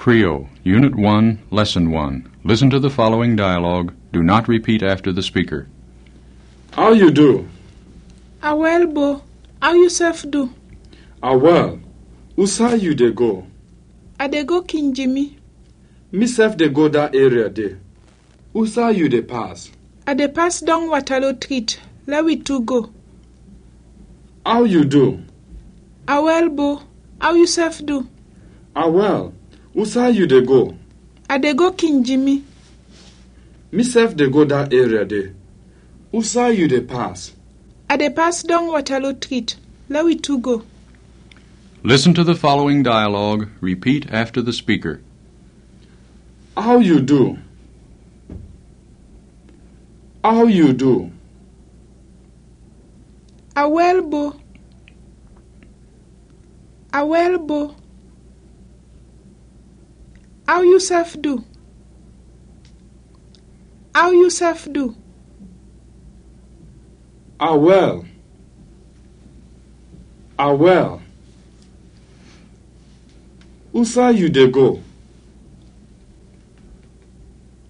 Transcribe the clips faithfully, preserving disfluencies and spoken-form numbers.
Creole, Unit one, Lesson one. Listen to the following dialogue. Do not repeat after the speaker. How you do? A wèl, bo. Aw yusɛf du? A wèl. Usay yu de go? A de go King Jimmy. Misɛf de go da area de. Usay yu de pas? A de pas dɔng Watalo Trit. Lɛ wi tu go. Aw yu du? A wèl, bo. Aw yusɛf du? A wèl. Usay yu de go? A de go King Jimmy. Misɛf de go da area de. Usay yu de pas? A de pas dɔng Watalo Trit. Lɛ wi tu go. Listen to the following dialogue. Repeat after the speaker. Aw yu du? Aw yu du? A wèl, bo. A wèl, bo. Aw yusɛf du? Aw yusɛf du? A wèl. A wèl. Usay yu de go?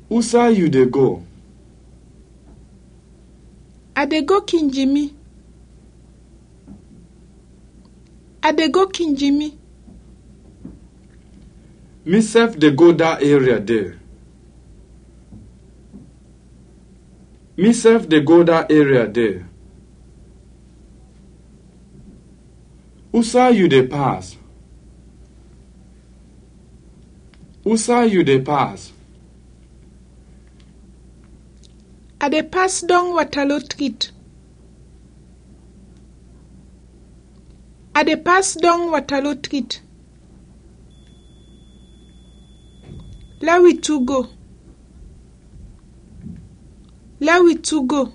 Usay yu de go? A de go King Jimmy. A de go King Jimmy. Misɛf de go da area de. Misɛf de go da area de. Usay yu de pas? Usay yu de pas? A de pas dɔng Watalo Trit. A de pas dɔng Watalo Trit. Lɛ wi tu go. Lɛ wi tu go.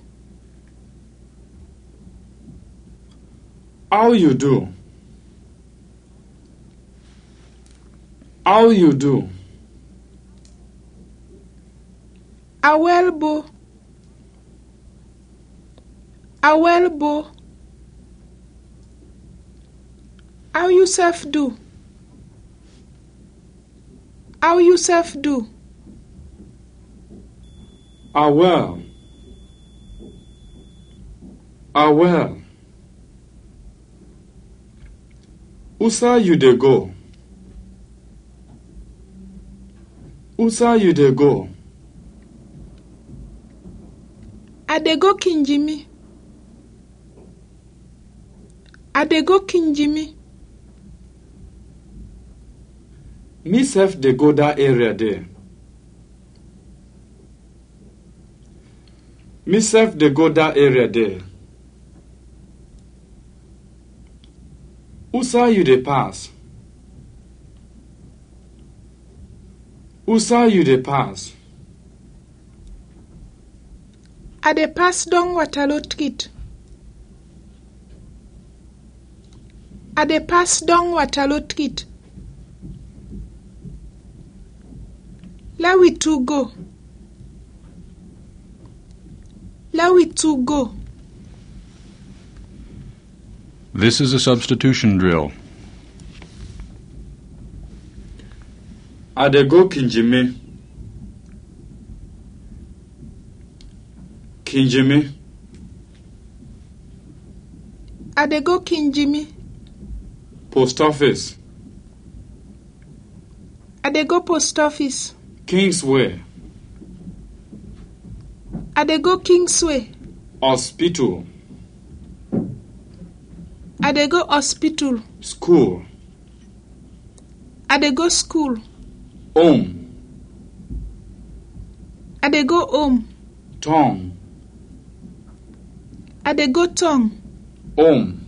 Aw yu du? Aw yu du? A wèl, bo. A wèl, bo. Aw yusɛf du? Aw yusɛf du? A wèl. A wèl. Usay yu de go? Usay yu de go? A de go King Jimmy. A de go King Jimmy. Misɛf de go da area de. Misɛf de go da area de. Usay yu de pas? Usay yu de pas? A de pas dɔng Watalo Trit. A de pas dɔng Watalo Trit. Lɛ wi tu go. Lɛ wi tu go. This is a substitution drill. A de go King Jimmy. King Jimmy. A de go King Jimmy. Post office. A de go post office. Kingsway. A de go Kingsway. Hospital. A de go hospital. School. A de go school. Home. A de go home. Town. A de go town. Home.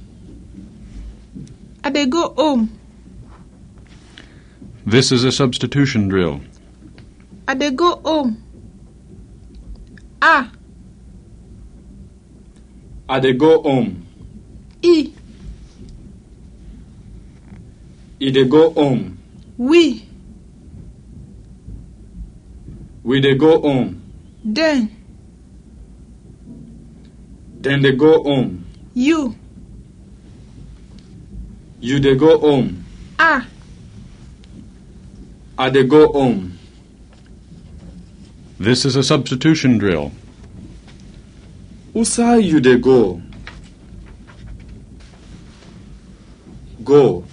A de go home. This is a substitution drill. A de go home. A. A de go home. I. I de go home. Wi. Wi de go home. Dɛn. Dɛn de go home. Yu. Yu de go home. A. I dey go home. This is a substitution drill. Usay yu dey go? Go.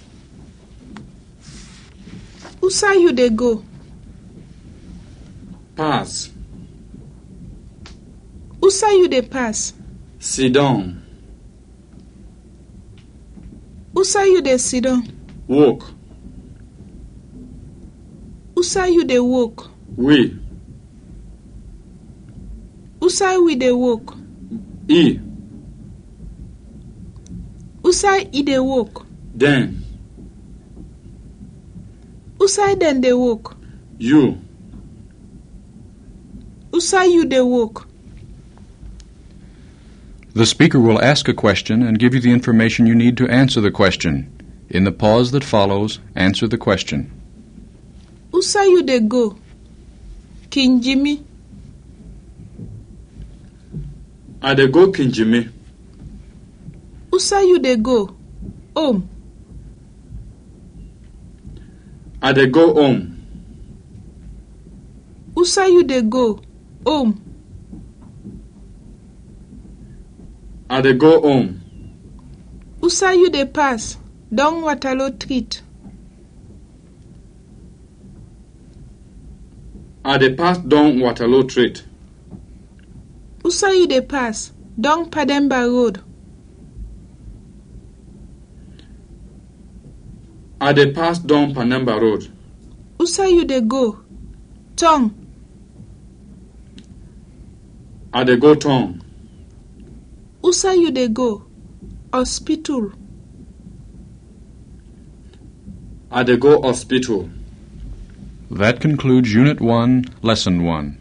Usay yu dey go? Pass. Usay yu dey pass? Sidon. Usay yu dey sidon? Wok. Usay yu dey wok? Wi. Usay wi dey wok? I. Usay i dey wok? Dɛn. Usay dɛn dey wok? Yu. Usay yu dey wok? The speaker will ask a question and give you the information you need to answer the question. In the pause that follows, answer the question. Usay yu dey go? Kinjimi. I dey go Kinjimi. Usay yu dey go? Home. I dey go home. Usay yu dey go? Home. I dey go home. Usay yu dey pass? Dɔng Waterloo Treet. I dey pass dɔng Waterloo Treet. Usay yu dey pass? Dɔng Pademba Road. I dey pass dɔng Pademba Road. Usay yu dey go? Tɔng. I dey go tɔng. Usay yu dey go? Hospital. I dey go hospital. That concludes Unit one, Lesson one.